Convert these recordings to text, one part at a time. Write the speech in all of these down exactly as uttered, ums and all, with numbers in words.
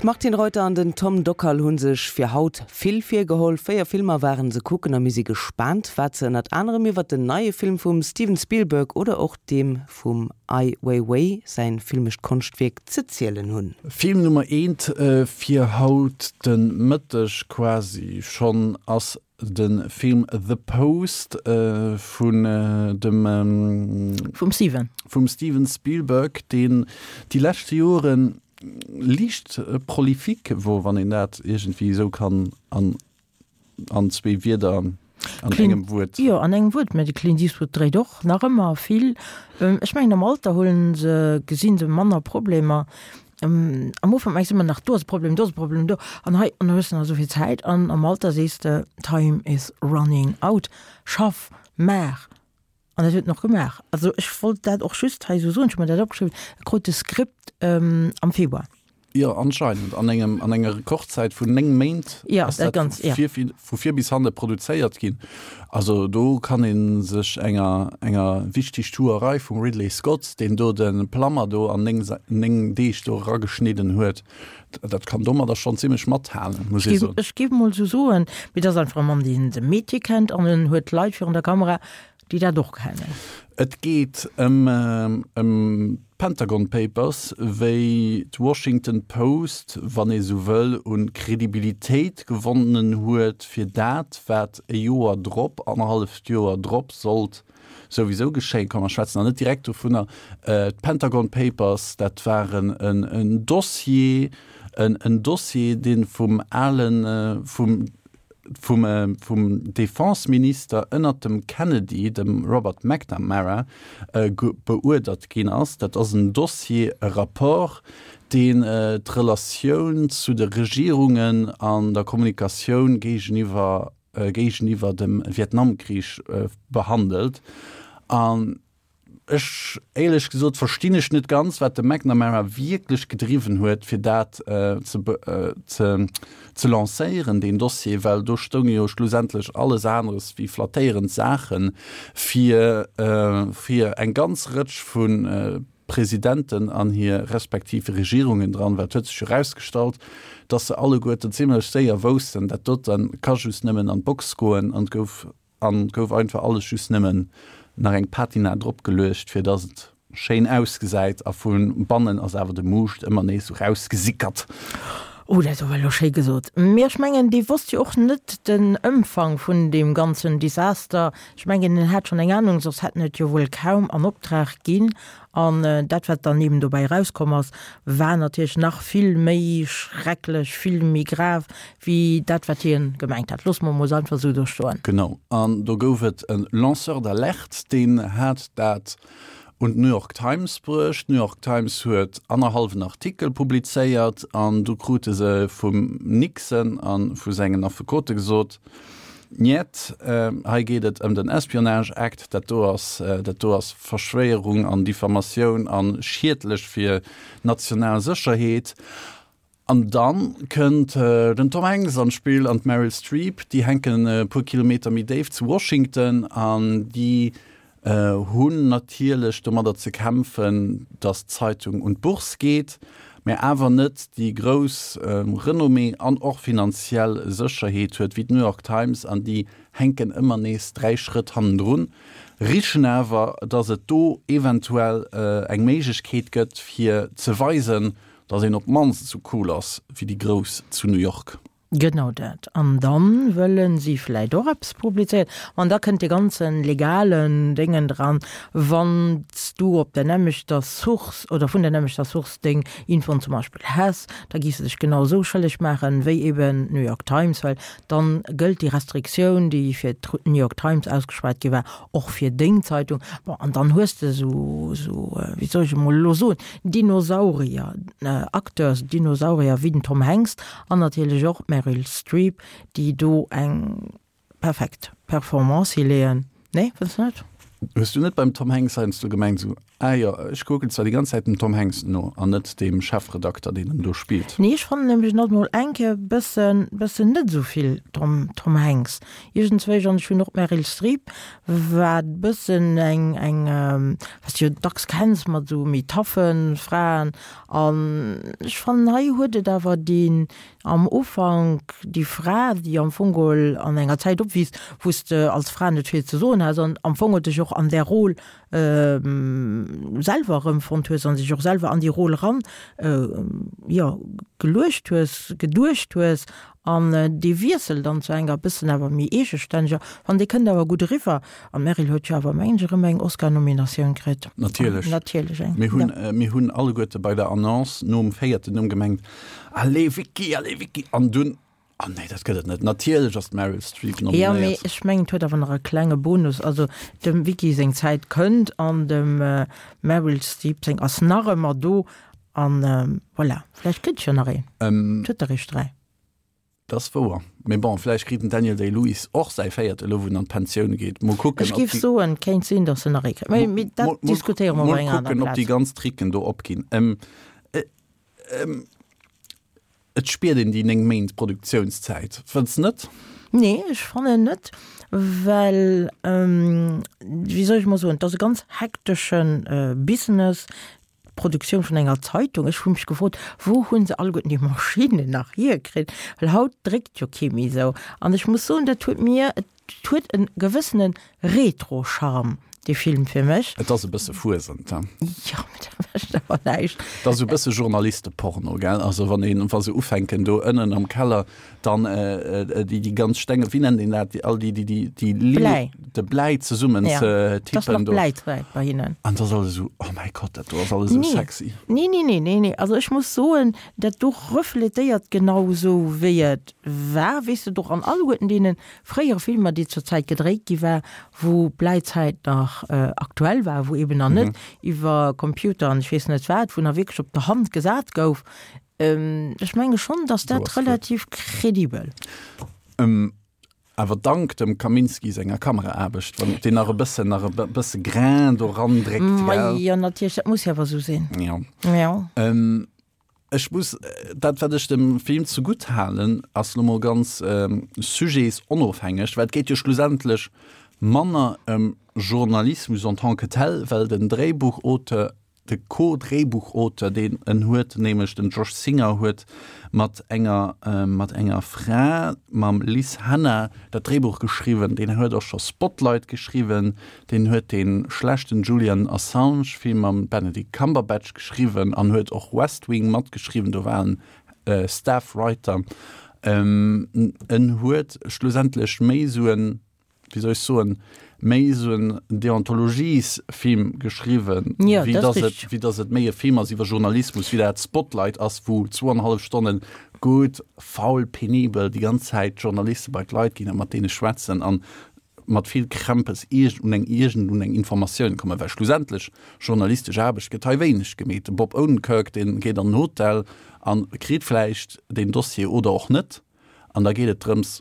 D'Martine Reuter an den Tom Dockal hu sech fir haut vill virgeholl. Véier Filmer ware se kucken a mir si gespaant, wat se ënnert anerem iwwer den neie Film vum Steven Spielberg oder och deem vum Ai Weiwei säin filmescht Konschtwierk ze zielen hunn. Film Nummer eent fir haut de Mëtteg quasi schonn ass de Film The Post vun dem Vum Steven. Vum Steven Spielberg, deen déi leschte Joren liicht prolifique wor, wann een dat iergendwéi esou kann an an zwee Wierder, an engem Wuert. Jo, an engem Wuert, mä de Clint Eastwood dréit och nach ëmmer vill. Ech mengen am Alter huelen se, gesinn se manner Problemer. Am Ufank mengs de ëmmer nach, do ass e Problem, do ass e Problem, do an hei, an da hues de nach esou vill Zäit an am Alter sees de, Time is running out, schaff, maach. An dat huet en och gemaach. Also ech wollt dat och just hei esou soen, ech hu mer dat opgeschriwwen, e krut de Skript am Februar. Jo, anscheinend an engem, an enger Rekordzäit vun néng Méint ass dat vu vir, vu vir bis hanne produzéiert ginn. Also do kann ee sech enger, enger Wichtigtuerei vum Ridley Scott, deen do de Plummer do an néng, néng Deeg do erageschnidden huet, dat kann domadder schonn zimmlech mathalen, muss ee soen. Ech géif emol esou soen, mee dat ass einfach e Mann, deen de Metier kennt an en huet Leit virun der Kamera, déi dat och kennen. Et geet ëm d'Pentagon Papers, wéi d'Washington Post, wann ee sou wëll, u Kredibilitéit gewonnen huet fir dat, wat e Joer drop, annerhalleft Joer drop sollt souwisou geschéien. Komm, mer schwätzen nach net direkt dovunner. D'Pentagon Papers, dat waren en Dossier, en Dossier, dee vum alen, vum, vum vum Defenseminister ënnert dem Kennedy, dem Robert McNamara, beuerdert ginn ass. Dat ass en Dossier, e Rapport, deen d'Relatioun zu de Regierungen an der Kommunikatioun géigeniwwer géigeniwwer dem Vietnamkrich behandelt. An Ech, éierlech gesot, verstinn ech net ganz, wat de McNamara wierklech gedriwwen huet, fir dat ze ze lancéieren, deen Dossier, well do stounge jo schlussendlech alles aneres wéi flattéierend Saache fir fir eng ganz Rëtsch vu Presidenten an hir respektiv Regierungen dran, well et huet sech jo erausgestallt, dass se alleguerten zimlech séier woussten, dat dote ka just nëmmen an d'Box goen an et gouf An gouf einfach alles just nëmmen nach eng Patina drop geluecht, fir dass et schéin ausgesäit, a vu bannen ass awer de Muuscht ëmmer nees sou rausgesickert. Oh, dat ass awer elo schéi gesot. Mee ech mengen, dee wosst jo och net den Ëmfang vun deem ganzen Desaster. Ech mengen, en hat schonn eng Anung, soss hätt en et jo wuel kaum an Optrag ginn. An dat, wat dann eben dobäi erauskomm ass, war natierlech nach vill méi schrecklech, vill méi grav, wéi dat, wat hien gemengt hat. Loosse mer emol einfach esou do stoen. Genau. An do gouf et e Lanceur d'alerte, deen hat dat un d'New York Times bruecht. D'New York Times huet annerhallwen Artikel publizéiert an du krute se vum Nixon a vu sengen Affekote gesot, Njet, hei geet et ëm den Espionage Act, dat do ass, dat do ass Verschwéierung an Diffamatioun a schiedlech fir d'national Sécherheet. An da kënnt den Tom Hanks an d'Spill an d'Meryl Streep, déi hänken e puer Kilometer méi déif zu Washington an déi hunn natierlech domadder ze kämpfen, datt d'Zeitung un d'Bourse geet, mä awer net déi grouss Renommée an och finanziell Sécherheet huet wéi d'New York Times, an déi hänken ëmmer nees dräi Schrëtt hannendrun, richen awer, datt et do eventuell eng Méiglechkeet gëtt fir ze weisen, datt een op d'mannst esou cool ass wéi déi Grouss zu New York. Genau dat. An dann wëllen si vläit och eppes publizéieren. An da kënnt dee ganzen legalen Déngen dran, wann s du op der nämmlechter Source oder vun der nämmlechter Source deng Infoen zum Beispill häss, da giffs de dech genau esou schëlleg maachen wéi eben d'New York Times, well dann gëllt déi Restriktioun, déi fir d'New York Times ausgeschwat gi war, och fir deng Zeitung. Bon, an dann hues de esou, esou, wéi soll ech emol elo soen, Dinosaurier, Acteurs, Dinosaurier wéi den Tom Hanks an natierlech och d'Meryl Streep, déi do eng perfekt Performance hileeën. Nee, fënns de net? Hues du net beim Tom Hanks heiansdo gemengt, esou, Ah jo, ech kucken zwar déi ganz Zäit dem Tom Hanks no an net deem Chefredakter, deen en do spillt. Nee, ech fannen nämlech en ass mol eng Kéier bëssen, bëssen net esou vill Tom, Tom Hanks iergendzwéi. An ech hunn och d'Meryl Streep, wat bëssen eng, eng, wat s de jo dacks kenns mat esou méi taffe Fraen. An ech fannen hei huet et awer deen am Ufank déi Fra, déi am Fong geholl an enger Zäit opwiisst, wou s de als Fra net vill ze soen has an am Fong geholl dech och an där Rôle selwer erëmfonnt hues an sech och selwer an déi Rôle eran, jo, geluecht hues, geduecht hues an dee Wiessel dann zu enger bëssen awer méi eegestänneger, an dee kënnt awer gutt eriwwer. An d'Meryl huet jo awer, mengen ech, erëm eng Oscar-Nominatioun kritt. Natierlech. Natierlech eng, Mir hunn, mir hunn alleguerte bei der Annonce nom véierten Numm gemengt, Allez Vicky, allez Vicky! An dunn, Oh nee, dat gëtt et net. Natierlech ass d'Meryl Streep nominéiert. Jo, mee ech mengen, et huet awer nach e klenge Bonus. Also dem Vicky seng Zäit kënnt an dem Meryl Streep seng ass nach ëmmer do. An voilà, vläicht kritt ech jo nach een. Et huet der eréischt dräi. Dat ass wouer. Mee bon, vläicht kritt den Daniel Day-Lewis och säi véierte elo, wou en an d'Pensioun geet. Mol kucken, Ech géif soen, et kéint sinn, datt en nach ee kritt. Mee dat diskutéiere mer op enger aner Plaz. Mol kucken, ob déi ganz Tricken do opginn. Et spiert een déi néng Méint Produktiounszäit, fënns net? Nee, ech fannen net, well, wéi soll ech mol soen, et ass e ganz hektesche Business, d'Produktioun vun enger Zeitung. Ech hu mech gefrot, wou hu se alleguerten déi Maschinnen nach hierkritt, well haut dréckt jo kee méi esou. An ech muss soen, dat huet mir, et huet e gewëssene Retro-Charme. Dee Film fir mech. Et ass e bësse Fuesent, he? Jo, mee dat mécht awer näischt. Et ass esou e bësse Journalisteporno, gell? Also wann een, wa se ufänken do ënnen am Keller dann déi, déi ganz Stenge, wéi nennt een dat, déi all déi, déi, déi, déi Bläi. De Bläi zesummen ze tippen do. Ja, et ass nach Bläizäit bei hinnen. An et ass alles esou, oh mäi Gott, dat do ass alles esou sexy. Nee, nee, nee, nee, nee. Also ech muss soen, dat do refletéiert genau esou wéi et war, weess de, och an alleguerten deene fréiere Filmer, déi zur Zäit gedréit gi war, wou d'Bläizäit nach aktuell war, wou eben nach net iwwer Computer an ech weess net wat, wou nach wierklech op der Hand gesat gouf. Ech menge schonn, datt dat relativ kredibel. Awer dank dem Kaminski senger Kameraaarbecht, wann deen nach e bëssen, nach e bësse Grain do randréckt, gell? Majo, natierlech, dat muss jo awer esou sinn. Jo. Jo. Ech muss, dat wat ech dem Film zegutt halen, ass lo mol ganz sujetsonofhängeg, well et geet jo schlussendlech manner ëm Journalismus en tant que tel, well den Dréibuchauteur, de Co-Dréibuchauteur deen en huet, nämlech den Josh Singer, huet mat enger mat enger Fra, mam Liz Hanna, dat Dréibuch geschriwwen. Deen huet och scho Spotlight geschriwwen, deen huet dee schlechten Julian Assange-Film mam Benedict Cumberbatch geschriwwen an huet och West Wing matgeschriwwen, do war en Staff Writer. En huet schlussendlech méi esou en, wéi soll ech soen, méi esou en Deontologiesfilm geschriwwen, wéi dass et, wéi dass et méi e Film ass iwwer Journalismus, wéi dat Spotlight ass, wou zwou an e hallef Stonnen gutt, faul, penibel déi ganz Zäit d'Journaliste bei d'Leit ginn a mat deene schwätzen an mat vill Krämpes iergend un eng iergend un eng Informatioun kommen, well schlussendlech journalistesch Aarbecht gëtt hei wéineg gemeet. De Bob Odenkirk, dee geet an den Hotel a kritt vläicht deen Dossier oder och net an da geet et drëms,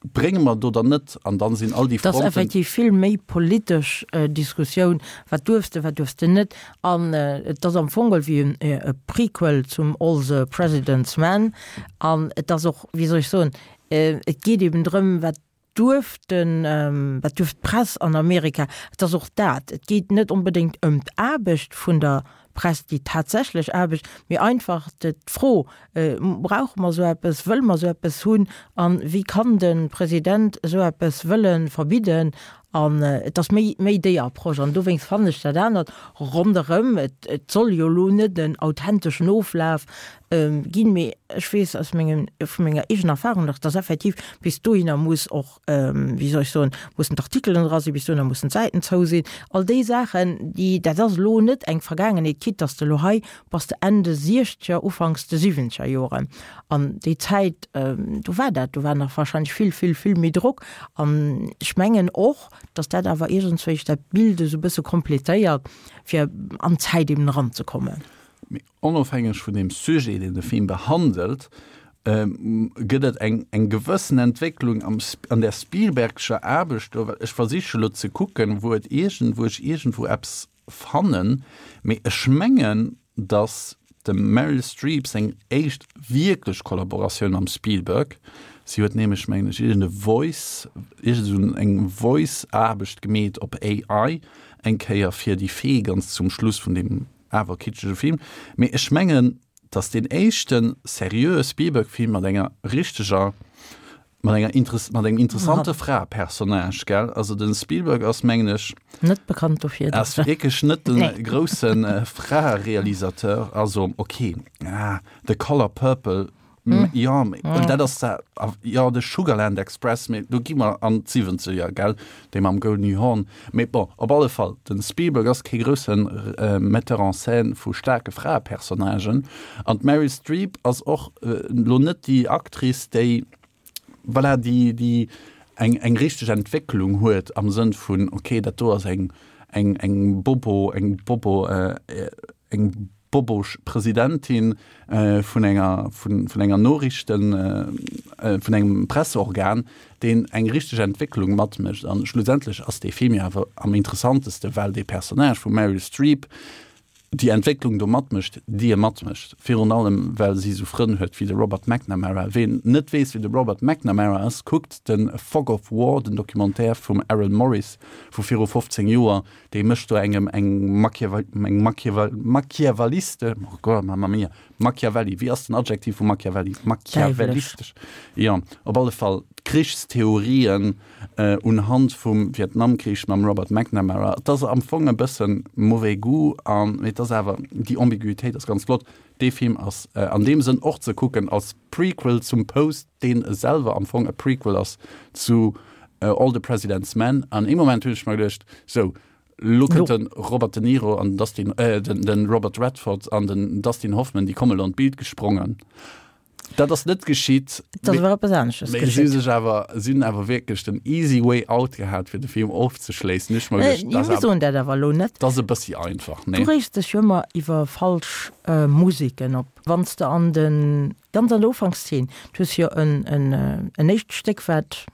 Brénge mer do dann net, an dann sinn all déi Fronten. Et ass effektiv vill méi politesch Diskussioun, wat duerfs de, wat duerfs de net. An et ass am Fong geholl wéi e Prequel zum All the President's Men. An et ass och, wéi soll ech soen, et geet eben drëm, wat duerf den, wat duerf d'Press an Amerika. Et ass och dat, et geet net onbedéngt ëm d'Aarbecht vun der Press, déi tatsächlech Aarbecht, mee einfach d'Fro, Brauche mer esou eppes, wëlle mer esou eppes hunn a wéi kann de President esou eppes wëlle verbidden? An et ass méi, méi déi Approche. An dowéinst fannen ech dat anert ronderëm, et, et soll jo elo net en authenteschen Oflaf ginn, mee ech weess aus mengem, vu menger eegener Erfahrung nach, dass effektiv bis dohinner muss och, wéi soll ech soen, mussen d'Artikelen dra sinn, bis dohinner mussen d'Säiten zou sinn, all déi Saachen, déi, dat ass elo net eng Vergaangenheet, quitte dass de elo hei bass de Enn de Siechzeger, Ufanks de Siwwenzeger Joren. An déi Zäit, do war dat, do war nach wahrscheinlech vill, vill, vill méi Drock. An ech mengen och, dass dat awer iergendswéi dat Bild esou e bësse complétéiert, fir an d'Zäit eben eranzekommen. Mee onofhängeg vun deem Sujet, deen de Film behandelt, gëtt et eng eng gewëssen Entwécklung am an der Spielbergscher Aarbecht do, well ech versiche lo ze kucken, wou et iergend wou ech iergendwou eppes fannen, mee ech mengen, dass dem Meryl Streep seng éischt wierklech Kollaboratioun mam Spielberg, si huet nämlech, mengen ech, iergend e Voice, iergend esou eng Voice-Aarbecht gemeet op A I eng Kéier fir déi Fee ganz zum Schluss vun deem awer kitschege Film. Mee ech mengen, dass deen éischte seriöe Spielberg-Film mat enger richteger, mat enger Interess mat engem interessante Fraepersonnage, gell? Also den Spielberg ass, mengen ech, net bekannt dofir, ass wierklech net den nee. groussen äh, Fraerealisateur. Also okay, ah, The Color Purple, mm. ja, mm. dat ass da, ja, de Sugarland Express, mee do gi mer an d'Siwwenzeger, gell, dee mam Goldie Hawn. Mee bon, op alle Fall, den Spielberg ass kee groussen äh, Metteur en scène vu staarke Fraepersonnagen. An d'Meryl Streep ass och äh, lo net déi Actrice, déi voilà, déi, déi eng, eng richteg Entwécklung huet am Sënn vun, okay, dat do ass eng, eng, eng Bobo, eng Bobo, äh, eng bobosch Presidentin äh, vun enger, vun, vun enger Noriichten, äh, vun engem Presseorgan, deen eng richteg Entwécklung matmécht. An schlussendlech ass dee Film jo awer am interessanteste, well dee Personnage vum Meryl Streep déi Entwécklung do matmécht, déi e matmécht. Virun allem, well si esou Frënn huet wéi de Robert McNamara. Ween net weess, wie de Robert McNamara ass, kuckt de Fog of War, den Documentaire vum Errol Morris vu viru fofzéng Joer. Dee mécht do engem eng Machiavelliste, oh Gott, mamma mia, Machiavelli, wéi ass den Adjektiv vu Machiavelli? Machiavellistesch, jo, op alle Fall d'Krichstheorien unhand vum Vietnamkrich mam Robert McNamara. Et ass am Fong e bësse mauvais goût, an mee et ass awer, déi Ambiguitéit ass ganz flott. Dee Film ass an deem Sënn och ze kucken als Prequel zum Post, deen selwer am Fong e Prequel ass zu All the President's Men. An ee Moment hunn ech mer geduecht, sou, lo kënnt de Robert De Niro an den Dustin, den Robert Redford an den Dustin Hoffman, déi komme lo an d'Bild gesprongen. Dat ass net geschitt. Dat ass awer eppes anesches geschitt. Mee si hu sech awer, si hunn awer wierklech den easy way out gehat, fir de Film ofzeschléissen. Ech mer geduecht, dat ass awer, dat awer elo net. Dat ass e bëssi einfach, nee? Du reegs dech jo ëmmer iwwer falsch Museken op. Wann s de an de, ganz an der Ufankszeen, du hues jo en, en, en éischt Stéck, wat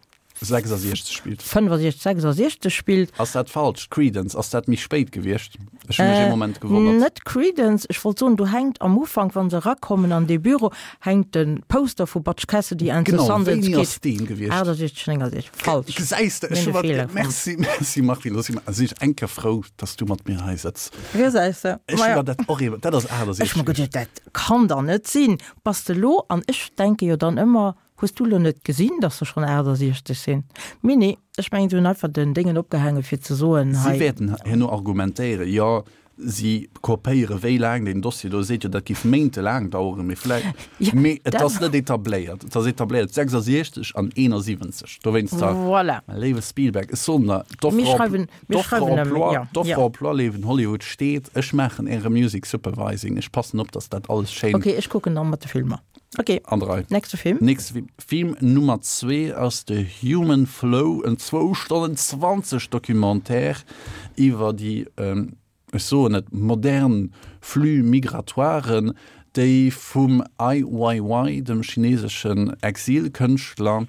sechsasiechzeg spillt. fënnefasiechzeg, sechsasiechzeg spillt. Ass dat falsch? Creedence, ass dat méi spéit gewiescht? Ech hu mech ee Moment gewonnert. Net Creedence, ech wollt soen, do hänkt am Ufank, wa se erakommen an dee Büro, hänkt de Poster vu Butch Cassidy and the Genau, Sundance wéini Kid. ass deen gewiescht? achtasiechzeg, néngasiechzeg, falsch. Gesäis de, ech Mir hu hunn e mat, Feeler fonnt. merci, merci Martine, do si mer, si ech eng Kéier frou, dass du mat mir hei sëtz. Gesäis de, Ech hu maja. mer dat och ee, dat ass Ech hu mer achtasiechzeg geduecht, dat kann dach net sinn. Bass de lo, an ech denke jo dann ëmmer, Hues du lo net gesinn, dass se schonn achtasiechzeg sinn? Mee nee, ech mengen, se hunn einfach den Déngen opgehaangen, fir ze soen, Si hei. wäerten herno argumentéieren, jo, si kopéiere wéi laang deen Dossier do seet jo, dat géif méintelaang daueren, mee vläicht, Ja, mee et dat. ass net etabléiert. Et ass etabléiert sechsasiechzeg an eenasiwwenzeg. Dowéinster, Voilà. mäi léiwe Spielberg, ech soen der, d'Offre Mir schreiwen, mir d'Offre schreiwen em, emploi, ja, d'Offre ja. emploi, léiwen Hollywood, steet, ech maachen Äre Music Supervising, ech passen op, dass dat alles schéin. Okay, ech kucken dann mat de Filmer. Okay. An der Rei. Nächste Film. Nächste Film. Film Nummer zwee ass The Human Flow, en zwou Stonnen zwanzeg Documentaire iwwer déi, ech soen et, modern Flux migratoiren, déi vum Ai Weiwei, dem chineseschen Exilkënschtler,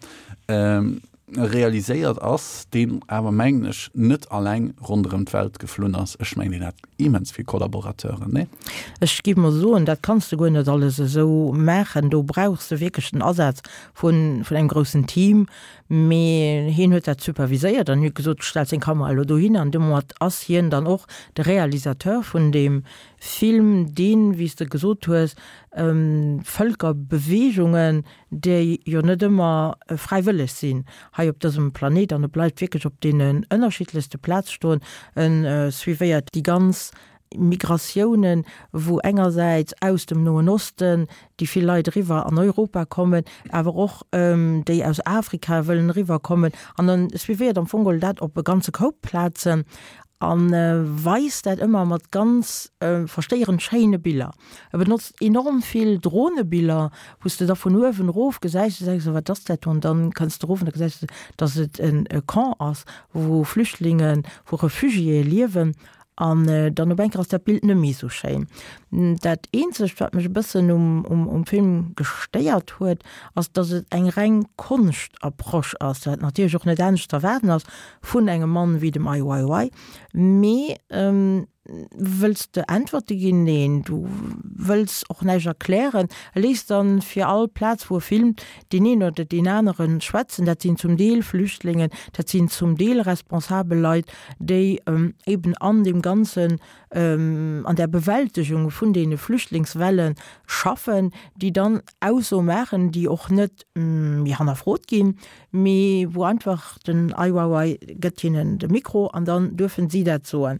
realiséiert ass, deen awer, mengen ech, net alleng ronderëm d'Welt geflunn ass. Ech mengen, deen hat immens vill Kollaborateuren, nee? Ech géif mol soen, dat kanns de guer net alles esou maachen. Do brauchs de wierklech den Asaz vun engem groussen Team. Mee hien huet dat superviséiert an huet gesot, du stells deng Kamera elo dohin. An domat ass hien dann och de Realisateur vun deem Film, deen, wéi s de gesot hues, Vëlkerbeweegungen, déi jo net ëmmer fräiwëlleg sinn hei op dësem Planet, an e bleift wierklech op deenen ënnerschiddlechste Plaz stoen, e suivéiert déi ganz Migratiounen, wou engersäits aus dem Noen Osten déi vill Leit eriwwer an Europa kommen, awer och déi aus Afrika wëllen eriwwer kommen, an en suivéiert am Fong geholl dat op e ganze Koup Plazen. A weist dat ëmmer mat ganz verstéierend schéine Biller. E benotzt enorm vill Dronebiller, wou s de da vun uewen erof gesäis, du denks, wat ass dat do? An dann kënns de erof an da gesäis de, datt et e Camp ass, wou Flüchtlingen, wou Refugiéë liewen. An dann op eng Kéier ass dat Bild net méi esou schéin. Dat eenzegt, wat mech e bëssen um Film gestéiert huet, ass, datt et eng reng Konschtapproche ass, wat natierlech och net anescht z'erwaarden ass vun engem Mann wéi dem Ai Weiwei, mee Wëlls de Äntwerte ginn? Neen, du wëlls och näischt erklären. E léisst dann fir all Plaz, wou e filmt, deen een oder deen anere schwätzen. Dat sinn zum Deel Flüchtlingen, dat sinn zum Deel responsabel Leit, déi eben an deem Ganzen, an där Bewältegung vun deene Flüchtlingswelle schaffen, déi dann Aussoe maachen, déi och net méi hannerfrot ginn, mee wou einfach den Ai Weiwei gëtt hinnen de Mikro an dann duerfen si dat soen.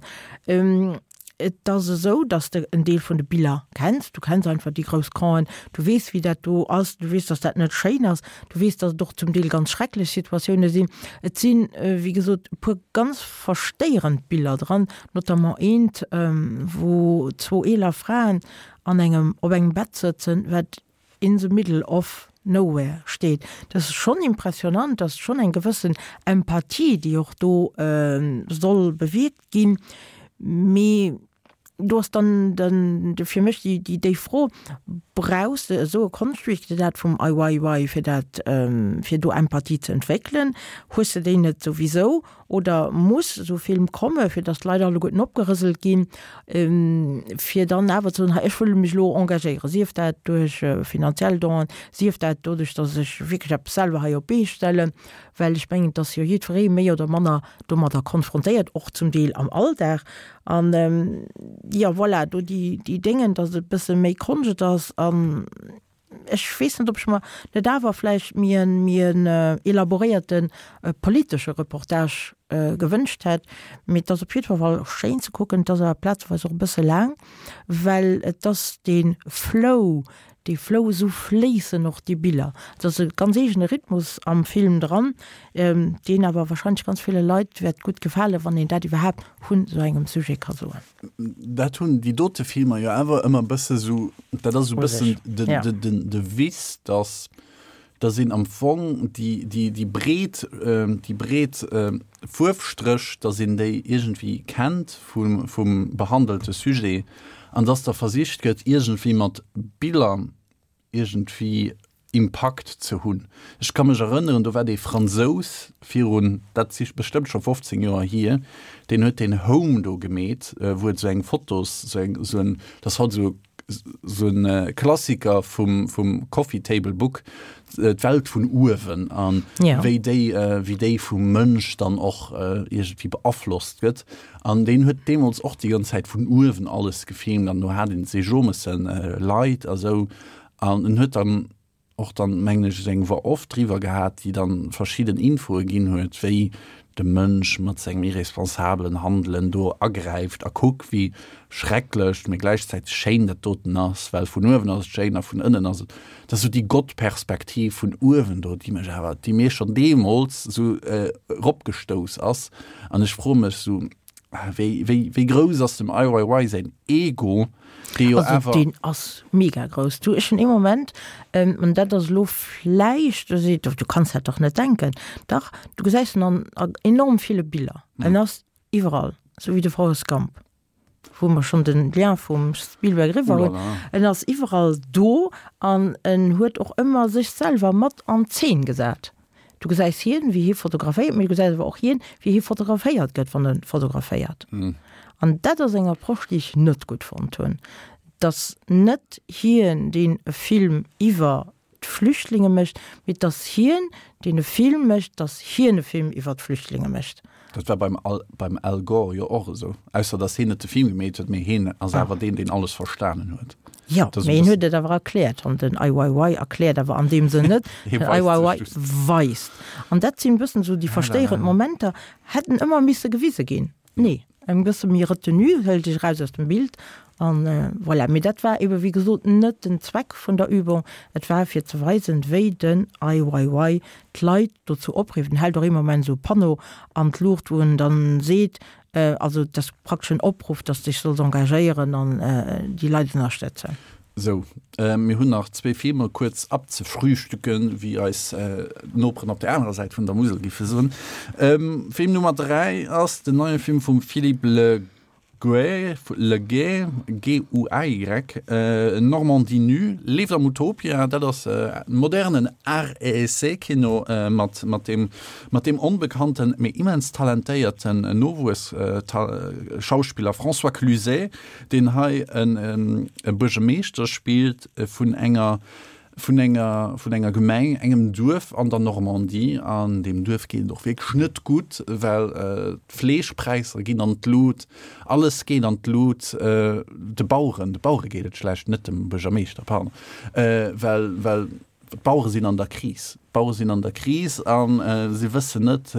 Et ass esou, datt s de en Deel vun de Biller kenns. Du kenns einfach déi grouss Campen, du weess, wéi dat do ass, du weess, datt dat net schéin ass, du weess, datt et och zum Deel ganz schrecklech Situatioune sinn. Et sinn, wéi gesot, e puer ganz verstéierend Biller dran, notamment eent, wou zwou eeler Fraen an engem, op engem Bett sëtzen, wat in the middle of nowhere steet. Dat ass schonn impressionant, dat ass schonn eng gewëssen Empathie, déi och do soll bewierkt ginn. Mee do ass dann den, fir mech déi, déi, déi Fro, Brauchs de esou e Konschtwierk wéi dat vum Ai Weiwei, fir dat, fir do Empathie ze entwéckelen? Hues de déi net souwisou? Oder muss esou e Film komme fir datt d'Leit alleguerten opgerëselt ginn, fir dann awer ze soen, hei ech wëll mech elo engagéieren, sief dat duerch finanziell Donen, sief dat doduerch, datt ech wierklech eppes selwer hei op d'Bee stellen, well ech mengen, et ass jo jiddweree méi oder manner domadder konfrontéiert, och zum Deel am Alldag. An jo voilà, do déi Déngen, datt et e bësse méi Konscht ass an Ech weess net, ob ech mer net awer vläicht méi en, méi en elaboréierte politesche Reportage gewënscht hätt. Mee et ass op jiddwer Fall schéin ze kucken. Et ass awer plazeweis och e bësse laang, well et ass dee Flow, dee Flow, esou fléissen och déi Biller. Et ass e ganz eegene Rhythmus am Film dran, deen awer wahrscheinlech ganz ville Leit wäert gutt gefalen, wann een dat iwwerhaapt vun esou engem Sujet ka soen. Dat hunn déi dote Filmer jo awer ëmmer e bësse sou, dat ass esou e bëssen den de Vice, dass dass een am Fong déi déi déi breet déi breet Fuerfstréch, dass een déi iergendwéi kennt vum vum behandelte Sujet an dass da versicht gëtt iergendwéi mat Biller iergendwéi Impakt ze hunn. Ech ka mech erënneren, do war dee Fransous virun, dat si bestëmmt scho fofzéng Joer hier, deen huet deen Home do gemeet, wou et esou eng Fotos, esou eng, esou en, dat ass haut esou esou e Klassiker vum, vum Coffee Table Book, d'Welt vun uewen a wéi déi, wéi déi vum Mënsch dann och iergendwéi beaflosst gëtt. An deen huet deemools och déi ganz Zäit vun uewen alles gefilmt an do hat een d'Sejomessen Leit a sou an en huet dann och dann, mengen ech, esou eng Voix off driwwer gehat, déi dann verschidden Infoe ginn huet, wéi de Mënsch mat sengem irresponsabelen Handelen do agräift a kuck, wéi schrecklech, mee gläichzäiteg schéin dat doten ass, well vun uewen ass et schéin a vun ënnen ass et, dat ass esou déi Gottperspektiv vun uewen do, déi mech awer, déi mir schonn deemools esou eropgestouss ass. An ech froe mech esou, Wéi, wéi, wéi grouss ass dem Ai Weiwei säin Ego, dee jo Also awer. deen ass mega grouss. Du, ech hunn ee Moment, an dat ass elo vläicht, du seet, du kanns dat dach net denken, dach, du gesäis en an an enorm ville Biller. En ass iwwerall, esou wéi de Forrest Gump, wou mer schonn den Lien vum Spielberg eriwwer hunn. Oulala. En ass iwwerall do an en huet och ëmmer sech selwer mat an d'Zeen gesat. Du gesäis hien, wéi hie fotograféiert, mee du gesäis awer och hien, wéi hie fotograféiert gëtt, wann e fotograféiert. An dat ass eng Approche, déi ech net gutt fonnt hunn, dass net hien, deen e Film iwwer d'Flüchtlinge mécht, mee dass hien, deen e Film mécht, dass hien e Film iwwer d'Flüchtlinge mécht. Dat war beim Al, beim Al Gore jo och esou, ausser dass hien net de Film gemeet huet, mee hien ass awer deen, deen alles verstanen huet. Jo, mee hien huet et awer erkläert. An den Ai Weiwei erkläert awer an deem Sënn net. Den Ai Weiwei weist. An dat sinn e bëssen esou déi verstéierend Momenter, hätten ëmmer misse gewise ginn. Nee, eng bësse méi Retenue, hëlt dech eraus aus dem Bild an voilà. Mee dat war ebe wéi gesot net den Zweck vun der Übung. Et war fir ze weisen, wéi den Ai Weiwei d'Leit dozou oprifft. En hält och ee Moment esou e Panneau an d'Luucht, wou en dann seet, Also et ass praktesch en Opruff, dass de dech solls engagéieren an déi Leit ënnerstëtzen. Sou, mir hunn nach zwee Filmer kuerz abzefrühstücken, wéi eis Noperen op der anerer Säit vun der Musel giffe soen. Film Nummer dräi ass den neie Film vum Philippe Le Guay, Le Guay, G U A Y, Normandie nue, leeft am Utopia, dat ass modernen Art-et-Essai-Kino mat mat deem mat deem onbekannten, mee immens talentéierten Nowuess-Schauspiller François Cluzet, deen hei en e Buergermeeschter spillt vun enger vun enger vun enger Gemeng, engem Duerf an der Normandie. An deem Duerf geet et och wierklech net gutt, well d'Fleeschpräisser ginn an d'Lut, alles geet an d'Lut, de Baueren, de Bauere geet et schlecht, net dem Buergermeeschter, pardon, well well d'Bauere sinn an der Kris, d'Bauere sinn an der Kris a si wëssen net,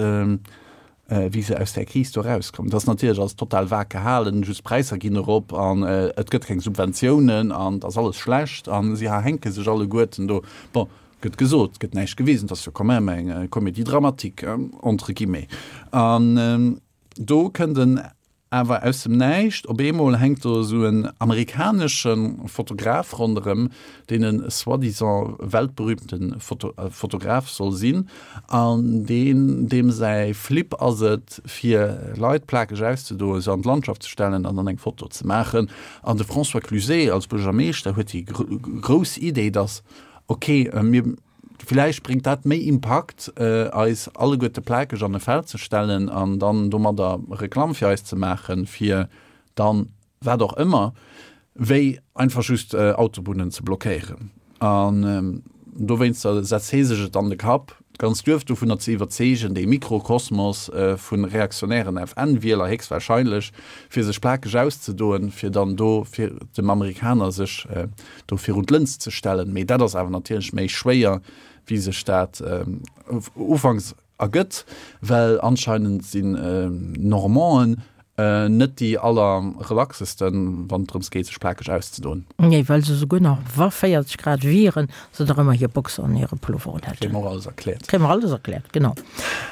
wéi se aus där Kris do erauskommen. Dat ass natierlech alles total vag gehalen, just d'Präisser ginn erop an et gëtt keng Subventiounen an et ass alles schlecht a si hänke sech alleguerten do. Bon, gëtt gesot, gëtt näischt gewisen, et ass jo quand même eng Comédie dramatique, entre guillemets. An do kënnt en Awer aus dem Näischt, op eemol hänkt do esou en amerikanesche Fotograf ronderëm, deen e soi-disant weltberühmte Fotograf soll sinn, an deen, deem säi Flip ass et, fir Leit plakeg auszedoen, se an d'Landschaft ze stellen an dann eng Foto ze maachen. An de François Cluzet als Buergermeeschter huet déi grouss Idee, dass, ok, mir, Villäicht bréngt dat méi Impakt, eis alleguerte plakeg an e Feld ze stellen an dann domadder Reklamm fir eis ze maachen, fir dann wat och ëmmer, wéi einfach just Autobunnen ze blockéieren. An dowéinster setzt hee sech et an de Kapp, d'ganzt Duerf dovunner ze iwwerzeegen, dee Mikrokosmos vu reaktionären F N-Wieler héchstwahrscheinlech, fir sech plakeg auszedoen, fir dann do fir dem Amerikaner sech do virun d'Lëns ze stellen. Mee dat ass awer natierlech méi schwéier, wéi sech dat ufanks ergëtt, well anscheinend sinn Normanden net déi aller relaxesten, wann et drëms geet, sech plakeg auszedoen. Nee, well se souguer nach wa véierzeg Grad wieren, se nach ëmmer hir Boxer an hire Pullover un hätten. Kréie mer och alles erkläert. Kréie mer alles erkläert, genau.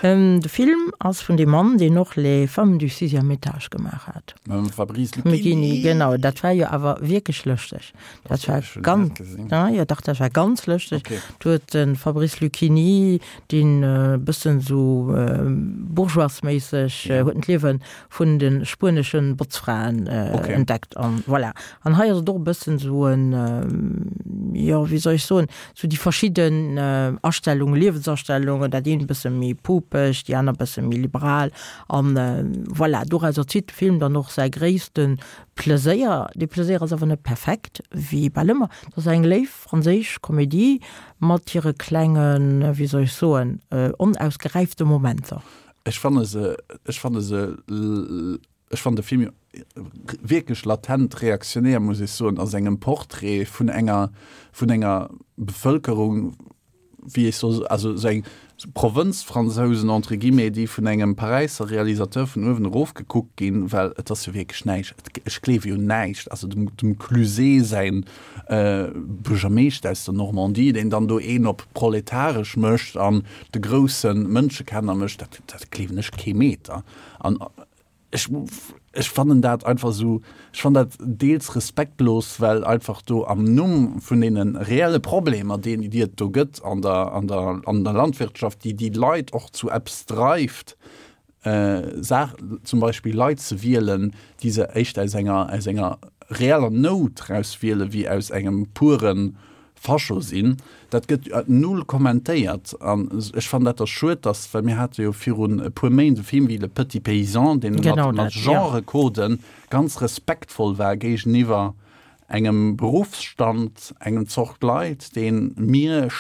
De Film ass vun deem Mann, deen och Les femmes du sixième étage gemaach hat. Mam Fabrice Luchini. Luchini, genau. Dat war jo awer wierklech lëschteg. Dat war ganz, ja, jo, dach, dat war ganz lëschteg. Okay. Do huet de Fabrice Luchini, deen e bëssen esou bourgeoisméisseg, huet en d'Liewe vun de spuenesche Botzfraen entdeckt an voilà. An hei ass et och e bëssen esou en, jo, wéi soll ech soen, esou déi verschidden Astellungen, Liewensastellungen, dat eent e bësse méi pupeg, déi aner e bësse méi liberal an voilà, dorauser zitt de Film dann och säi gréisste Pleséier. Dee Pleséier ass awer net perfekt, wéi bal ëmmer. Et ass eng léif franséisch Komedie mat hire klengen, wéi soll ech soen, onausgeräifte Momenter. Ech fanne se, ech fanne se, ech fannen de Film wierklech latent reaktionär, muss ech soen, a sengem Portrait vun enger, vun enger Bevëlkerung, wéi ech soll, also esou eng Provënzfransousen entre guillemets, déi vun engem Paräisser Realisateur vun uewen erof gekuckt ginn, well et ass jo wierklech näischt, ech gleewe jo näischt, also dem, dem Cluzet säin Buergermeeschter aus der Normandie, deen dann do een op proletaresch mécht an de grousse Mënschekenner mécht, dat, dat gleewen ech kee Meter. An ech, ech fannen dat einfach esou, ech fannen dat deels respektlos, well einfach do am Numm vun deene reelle Problemer, déi, déi et do gëtt an der, an der, an der Landwirtschaft, déi déi Leit och zu eppes dreift, Saach, zum Beispill Leit ze wielen, déi se éischter aus enger, aus enger reeller Nout raus wielen, wéi aus engem puren Fascho sinn. Dat gëtt null kommentéiert. An ech fannen dat da schued, dass, well mir hate jo virun e puer Méint e Film wéi Le Petit Paysan, deen mat, mat Genrecoden ganz respektvoll war géigeniwwer engem Beruffsstand, engem Zort Leit, dee mir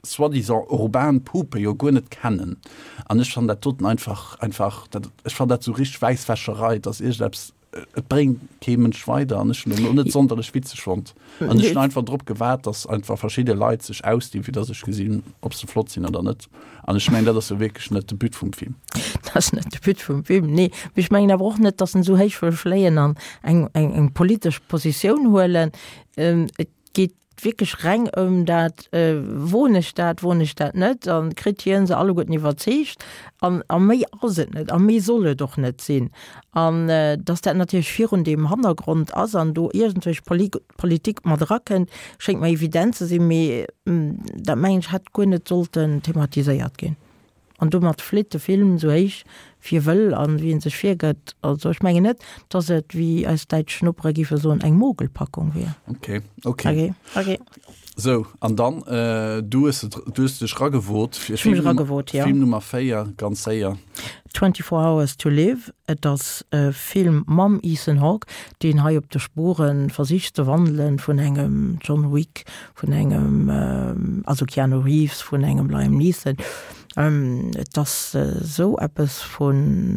soi-disant urban Pupe jo guer net kennen. An ech fannen dat doten einfach, einfach, dat, ech fannen dat esou richteg Wäisswäscherei, dass iergendeppes, et bréngt kee Mënsch weider an ech hunn en och net sonderlech witzeg fonnt. An ech hunn einfach drop gewaart, dass einfach verschidde Leit sech ausdinn, fir dass ech gesinn, ob se flott sinn oder net. An ech mengen, dat ass jo wierklech net de But vum Film. Dat ass net de But vum Film, nee. Mee ech mengen awer och net, dass en esou héich wëll fléien an eng, eng, eng politesch Positioun huelen. Et geet wierklech reng ëm dat, woen ech dat, woen ech dat net, a kritt hien se alleguerten iwwerzeegt. An a méi ass et net a méi soll et och net sinn. An datt dat natierlech virun deem Hannergrond ass an do iergendwelch Politik mat erakënnt, schéngt mer evident ze sinn, mee dat mengen ech hätt guer net sollten thematiséiert ginn. An domat flitt de Film esou héich wéi e wëll an wéi en sech virgëtt. Also ech mengen net, dass et, wéi eis däitsch Nopere géife soen, eng Mogelpackung wier. Okay, okay. Okay, okay. Sou, an dann, du hues et, du hues dech ragewot fir Ech hu mech ragewot, jo. Film Nummer véier, ganz séier. Twenty-four Hours to Live, et ass e Film mam Ethan Hawke, deen hei op de Spure versicht ze wandelen vun engem John Wick, vun engem, also Keanu Reeves, vun engem Liam Neeson. Et ass esou eppes vun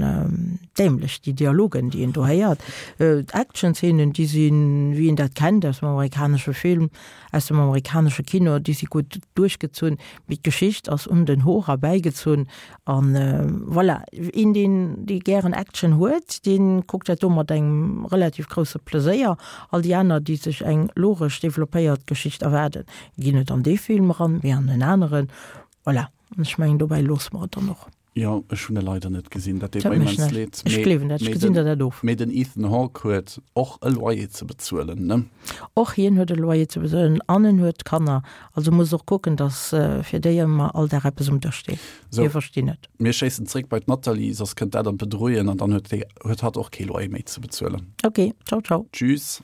dämlech, déi Dialogen, déi een do héiert. D'Action-Szenen, déi sinn, wéi een dat kennt aus dem amerikanesche Film, aus dem amerikanesche Kino, déi si gutt duerchgezunn, mee d'Geschicht ass un den Hoer erbäigezunn. An voilà, een, deen, dee gären Action huet, dee kuckt dat do mat engem relativ grousse Pleséier. All déi aner, déi sech eng logesch developpéiert Geschicht erwaarden, ginn net an dee Film eran, mee an en aneren. Voilà, an ech mengen, dobäi loosse mer et dann och. Jo, ech hunn e leider net gesinn, dat deet Dat mer mécht immens näischt. leed. Ech Mee, gleewen dat, ech mee gesinn den, der dat of. mee den Ethan Hawke huet och e Loyer ze bezuelen, ne? Och hien huet e Loyer ze bezuelen an en huet Kanner, also muss och kucken, datt fir déi ëmmer all Dag eppes um Dësch steet. Sou, Mir verstinn et. mir schéissen zréck bei d'Nathalie, soss kënnt dat an d'Bedrouen an dann huet, huet hatt och kee Loyer méi ze bezuelen. Ok, ciao, ciao. Tschüss.